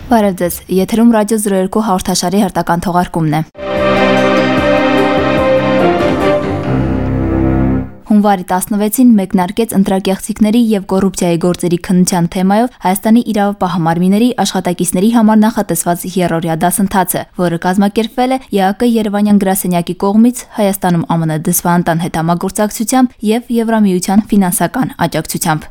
Բարև ձեզ, եթերում ռադիո 02 հաղորդաշարի հերթական թողարկումն է։ Հունվարի 16-ին մեկնարկեց ընտրակեղծիքների եւ կոռուպցիայի գործերի քննության թեմայով Հայաստանի իրավապահ մարմինների աշխատակիցների համար նախատեսված երրորդյա դասընթացը, որը կազմակերպվել է ԵԱԿ Երևանյան գրասենյակի կողմից Հայաստանում ԱՄՆ դեսպանատան հետ համագործակցությամբ եւ Եվրամիության ֆինանսական աջակցությամբ։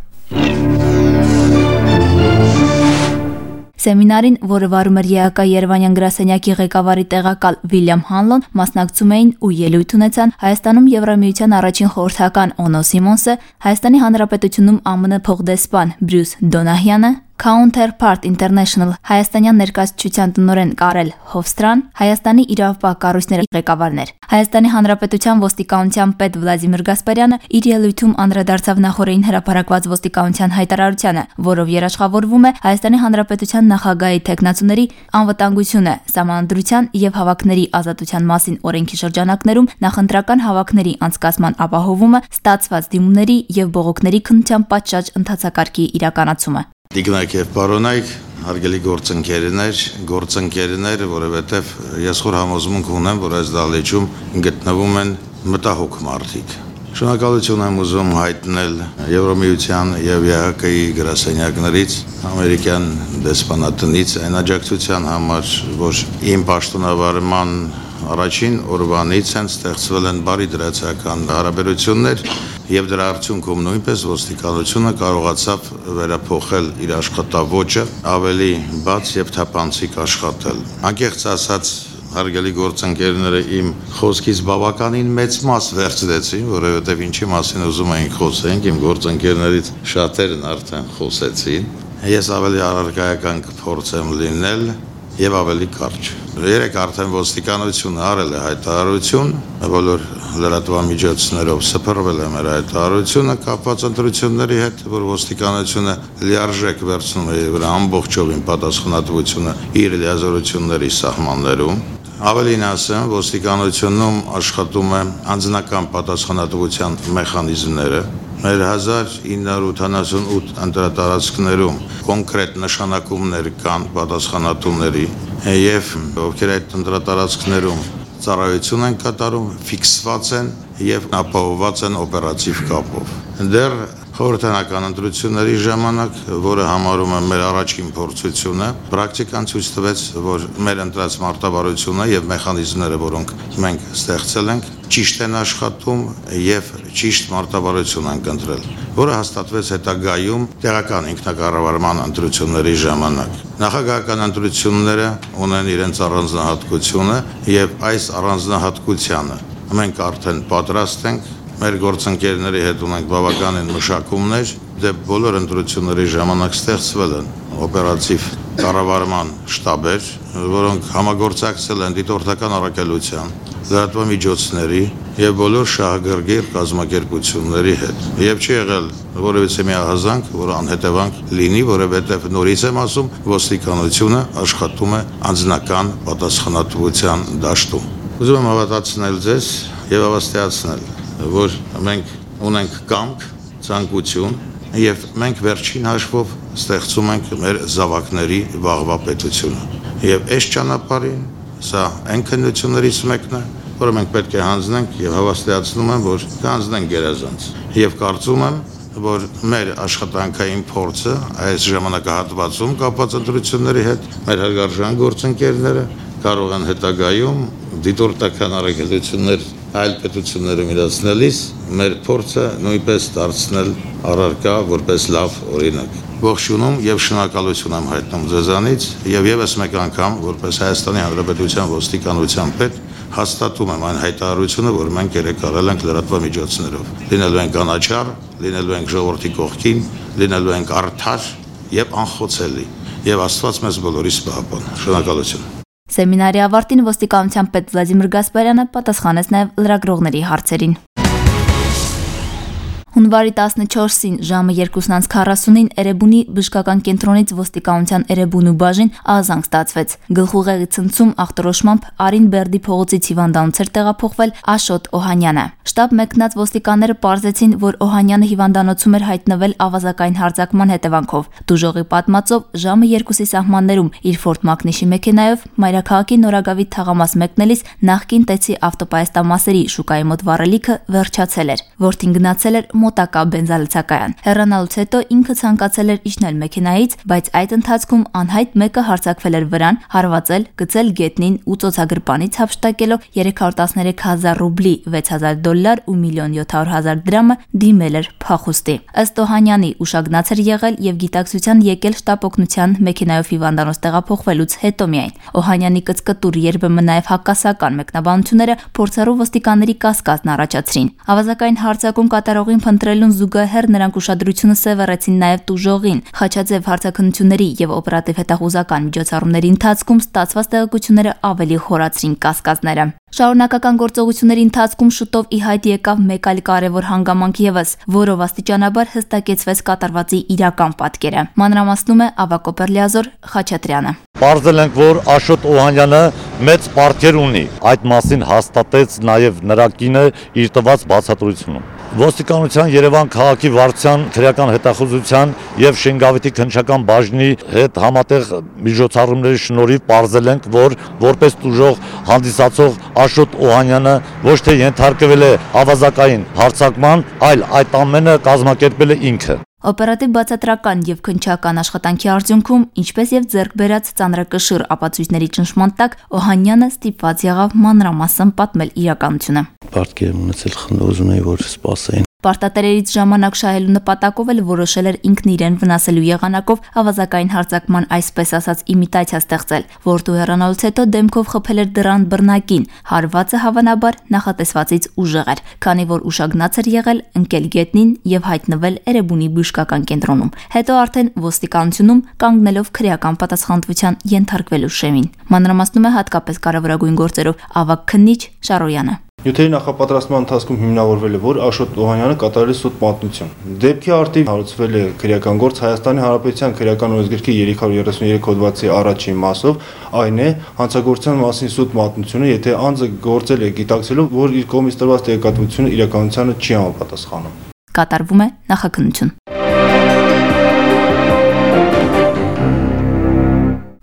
Սեմինարին, որը վարում էր ԵԱԿ Երևանյան գրասենյակի ղեկավարի տեղակալ Վիլյամ Հանլոն, մասնակցում էին ու ելույթ ունեցան Հայաստանում Եվրամիության առաջին խորհրդական Օնո Սիմոնսը, Հայաստանի Հանրապետությունում ԱՄՆ փոխդեսպան Բրյուս Դոնահյանը, Counterpart International հայաստանյան ներկայացության տնօրեն Կարել Հովստրան, Հայաստանի իրավապահ կառույցների ղեկավարներ։ Հայաստանի Հանրապետության ոստիկանության պետ Վլադիմիր Գասպարյանը իր ելույթում անդրադարձավ նախորդին հրապարակված ոստիկանության հայտարարությանը, որով երաշխավորվում է Հայաստանի Հանրապետության նախագահի թեկնածուների անվտանգությունը, սահմանադրության եւ հավաքների ազատության մասին օրենքի շրջանակներում նախընտրական հավաքների անցկացման ապահովումը, ստացված դիմումների եւ բողոքների քննության պատշաճ ընթացակարգի իրականացումը։ Դիգնայք եւ պարոնայք, հարգելի գործընկերներ, որովհետեւ ես խոր համոզմունք ունեմ, որ այս դահլիճում գտնվում են մտահոգ մարդիկ։ Շնորհակալություն եմ ուզում հայտնել Եվրամիության եւ ԵԱԿ-ի գրասենյակներից, ամերիկյան դեսպանատնից այն աջակցության համար, որ իմ պաշտոնավարման առաջին օրվանից են ստեղծվել են բարի դրացական հարաբերություններ եւ դրա արդյունքում նույնպես ոստիկանությունը կարողացավ վերափոխել իր աշխատավոճը, ավելի բաց եւ թափանցիկ աշխատել։ Անկեղծ ասած, հարգելի գործընկերները իմ խոսքից բավականին մեծ մաս վերցրեցին, որովհետեւ ինչի մասին ուզում էինք խոսենք, իմ գործընկերներից շատերն արդեն խոսեցին։ Ես ավելի առարկայական կփորձեմ լինել եւ ավելի կարճ։ Երեք արդեն ոստիկանությունը արել է հայտարարություն, բոլոր լրատվամիջոցներով սփռվել է մեր հայտարարությունը կապված ընտրությունների հետ, որ ոստիկանությունը լիարժեք վերցնում է եւ ամբողջովին պատասխանատվությունը իր լիազորությունների սահմաններում։ Ավելին ասեմ, ոստիկանությունում աշխատում է անձնական պատասխանատվության մեխանիզմները։ Մեր 1988 ընտրատարածքներում կոնկրետ նշանակումներ կան պատասխանատուների եւ ովքեր այդ ընտրատարածքներում ծառայություն են կատարում, ֆիքսված են եւ ապահովված են օպերատիվ կապով։ Դեռ խորհրդանական ընտրությունների ժամանակ, որը համարում է մեր առաջին փորձությունը, պրակտիկան ցույց տվեց, որ մեր ընտրած մարտավարությունը եւ մեխանիզմները, որոնք մենք ստեղծել ենք, ճիշտ են աշխատում եւ ճիշտ մարտավարություն են կընտրել, որը հաստատվեց հետագայում տեղական ինքնակառավարման ընտրությունների ժամանակ։ Նախագահական ընտրությունները ունեն իրենց առանձնահատկությունը եւ այս առանձնահատկությանը մենք արդեն պատրաստ ենք մեր գործընկերների հետ ունենք բավականին մշակումներ, դե բոլոր ընտրությունների ժամանակ ստեղծվել են օպերատիվ կառավարման շտաբեր, որոնք համագործակցել են դիտորդական առաքելության, լրատվամիջոցների եւ բոլոր շահագրգիռ կազմակերպությունների հետ։ Եվ չի եղել որևիցե մի ահազանգ, որ անհետևանք լինի, որովհետեւ նորից եմ ասում, ոստիկանությունը աշխատում է անձնական պատասխանատվության դաշտում։ Ուզում եմ հավատացնել ձեզ եւ հավաստիացնել, որ մենք ունենք կամք, ցանկություն եւ մենք վերջին հաշվով ստեղծում ենք մեր զավակների վաղվա պետությունը։ Եվ այս ճանապարհին սա այն քննություններից մեկն է, որը մենք պետք է հանձնենք եւ հավաստիացնում եմ, որ կանձնենք գերազանց։ Եվ կարծում եմ, որ մեր աշխատանքային փորձը այս ժամանակահատվածում կապված ընտրությունների հետ մեր հարգարժան գործընկերները կարող են հետագայում դիտորդական առաքելություններ այլ պետություններում իրացնելիս մեր փորձը նույնպես դարձնել առարկա որպես լավ օրինակ։ Ողջունում եւ շնորհակալություն եմ հայտնում ձեզանից եւ եւս մեկ անգամ որպես Հայաստանի Հանրապետության ոստիկանության պետ հաստատում եմ այն հայտարարությունը, որ մենք երեք արել ենք լրատվամիջոցներով։ Լինելու ենք անաչառ, լինելու ենք ժողովրդի կողքին, լինելու ենք արդար եւ անխոցելի եւ Աստված մեզ բոլորիս պահապան։ Շնորհակալություն։ Սեմինարի ավարտին ոստիկանության պետ Վլադիմիր Գասպարյանը պատասխանեց նաև լրագրողների հարցերին։ Հունվարի 14-ին ժամը 2:40-ին Էրեբունի բժշկական կենտրոնից ոստիկանության Էրեբունու բաժին ահազանգ ստացվեց։ Գլխուղեղի ցնցում ախտորոշմամբ Արին Բերդի փողոցից հիվանդանոց էր տեղափոխվել Աշոտ Օհանյանը։ Շտաբ մեկնած ոստիկանները պարզեցին, որ Օհանյանը հիվանդանոցում էր հայտնվել ավազակային հարձակման հետևանքով։ Դուժողի պատմածով ժամը 2-ի սահմաններում իր Ford Mach-ի մեքենայով մայրաքաղաքի Նորագավիթ թաղամաս մեկնելիս նախկին Տեցի ավտոպայստամասերի շուկայի մոտ վառելիքը վերջացել էր։ Որդին գնացել էր մոտակա բենզալցակայան։ Հեռանալուց հետո ինքը ցանկացել էր իջնել մեքենայից, բայց այդ ընթացքում անհայտ մեկը հարձակվել էր վրան, հարվածել, գցել գետնին ու ծոցագրպանից հափշտակելով 313,000 ռուբլի, $6,000 ու 1,700,000 դրամը դիմել էր փախուստի։ Ըստ Օհանյանի ուշագնաց էր եղել եւ գիտակցության եկել շտապ օգնության մեքենայով հիվանդանոց տեղափոխվելուց հետո միայն։ Օհանյանի կծկտուր երբեմն նաեւ հակասական մեկնաբանությունները փորձառու ոստիկանների կասկածն առաջացրին։ Ավազակային հարձակում կատարողին փնտրելուն զուգահեռ նրանք ուշադրությունը սևեռեցին նաև տուժողին։ Խաչաձև հարցաքննությունների եւ օպերատիվ հետախուզական միջոցառումների ընթացքում ստացված տեղեկությունները ավելի խորացրին կասկածները։ Շարունակական գործողությունների ընթացքում շուտով ի հայտ եկավ մեկ այլ կարևոր հանգամանք ևս, որով աստիճանաբար հստակեցվեց կատարվածի իրական պատկերը։ Մանրամասնում է Ավակո Պերլիազոր Խաչատրյանը։ Պարզել ենք, որ Աշոտ Օհանյանը մեծ պարտքեր ունի։ Այդ մասին հաստատեց նաև նրա կինը իր տված բացատրությունում։ Ոստիկանության Երևան քաղաքի վարչության քրեական հետախուզության եւ Շենգավիթի քննչական բաժնի հետ համատեղ միջոցառումների շնորհիվ պարզել ենք, որ որպես տուժող հանդիսացող Աշոտ Օհանյանը ոչ թե ենթարկվել է ավազակային հարձակման, այլ այդ ամենը կազմակերպել է ինքը։ Օպերատիվ բացատրական եւ քննչական աշխատանքի արդյունքում, ինչպես եւ ձեռք բերած ծանրակշիռ ապացույցների ճնշման տակ, Օհանյանը ստիպված եղավ մանրամասն պատմել իրականությունը։ Պարտքեր ունեցել խնդրում էի, որ սպասեին։ Պարտատերերից ժամանակ շահելու նպատակով էլ որոշել էր ինքն իրեն վնասելու եղանակով ավազակային հարձակման այսպես ասած իմիտացիա ստեղծել, որտու հեռանալուց հետո դեմքով խփել էր դռան բռնակին, հարվածը հավանաբար նախատեսվածից ուժեղ էր, քանի որ ուշագնաց էր եղել, ընկել գետնին եւ հայտնվել Էրեբունի բժշկական կենտրոնում, հետո արդեն ոստիկանությունում կանգնելով քրեական պատասխանատվության ենթարկվելու շեմին։ Մանրամասնում է հատկապես կարևորագույն գործերով Ավակ քննիչ Շարոյանը։ Նյութերի նախապատրաստման ընթացքում հիմնավորվել է, որ Աշոտ Օհանյանը կատարել է սուտ պատմություն։ Դեպքի արդիվ հարուցվել է քրեական գործ Հայաստանի Հանրապետության քրեական օրենսգրքի 333 հոդվածի առաջին մասով, այն է հանցագործության մասին սուտ պատմությունը, եթե անձը գործել է գիտակցելով, որ իր կողմից տրված տեղեկատվությունը իրականությանը չի համապատասխանում։ Կատարվում է նախաքննություն։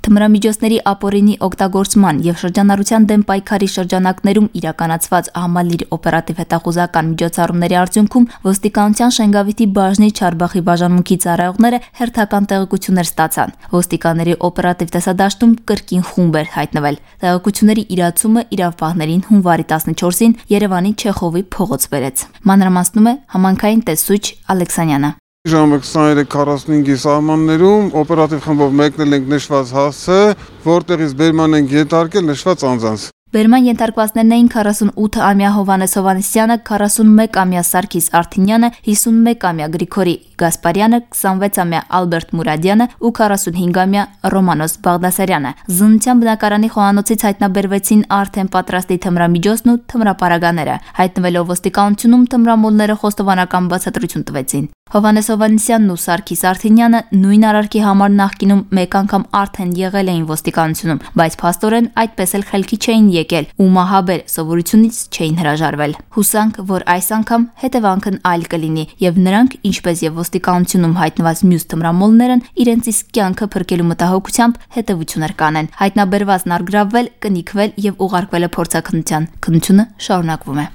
Թմրամիջոցների ապօրինի օգտագործման եւ շրջանառության դեմ պայքարի շրջանակներում իրականացված համալիր օպերատիվ հետախուզական միջոցառումների արդյունքում ոստիկանության Շենգավիթի բաժնի Չարբախի բաժանմունքի ծառայողները հերթական տեղեկություններ ստացան։ Ոստիկանների օպերատիվ տեսադաշտում կրկին խումբ էր հայտնվել։ Տեղեկությունների իրացումը իրավապահներին հունվարի 14-ին Երևանի Չեխովի փողոց բերեց։ Մանրամասնում է համանքային տեսուչ Ալեքսանյանը։ Ժամը 23:45-ի սահմաններում օպերատիվ խմբով մեկնել ենք նշված հասցը, որտեղից բերման ենք ենթարկել նշված անձանց։ Բերման ենթարկվածներն էին 48-ամյա Հովանես Հովանեսյանը, 41-ամյա Սարգիս Արթինյանը, 51-ամյա Գրիգորի Գասպարյանը, 26-ամյա Ալբերտ Մուրադյանը ու 45-ամյա Ռոմանոս Բաղդասարյանը։ Զննության բնակարանի խոհանոցից հայտնաբերվեցին արդեն պատրաստի թմրամիջոցն ու թմրապարագաները։ Հայտնվելով ոստիկանությունում թմրամոլները խոստովանական բացատրություն տվեցին։ Հովանես Հովանեսյանն ու Սարգիս Արթինյանը նույն արարքի համար նախկինում մեկ անգամ արդեն եղել էին ոստիկանությունում, բայց փաստորեն այդպես էլ խելքի չէին եկել ու մահաբեր սովորությունից չէին հրաժարվել։ Հուսանք, որ այս անգամ հետևանքն այլ կլինի եւ նրանք, ինչպես եւ ոստիկանությունում հայտնված մյուս թմրամոլներն, իրենց իսկ կյանքը փրկելու մտահոգությամբ հետևություններ կանեն։ Հայտնաբերվածն արգրավվել, կնիքվել եւ ուղարկվել է փորձաքննության։ Քննությունը շարունակվում է։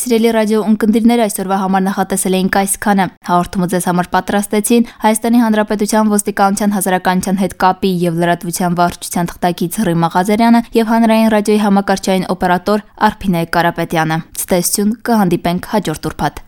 Սիրելի ռադիո ունկնդիրներ, այսօրվա համար նախատեսել էինք այսքանը։ Հաղորդումը ձեզ համար պատրաստեցին Հայաստանի Հանրապետության ոստիկանության հասարակայնության հետ կապի եւ լրատվության վարչության թղթակից Հռիմ Աղազարյանը եւ հանրային ռադիոյի համակարգչային օպերատոր Արփինե Կարապետյանը։ Ցտեսություն, կհանդիպենք հաջորդ ուրբաթ։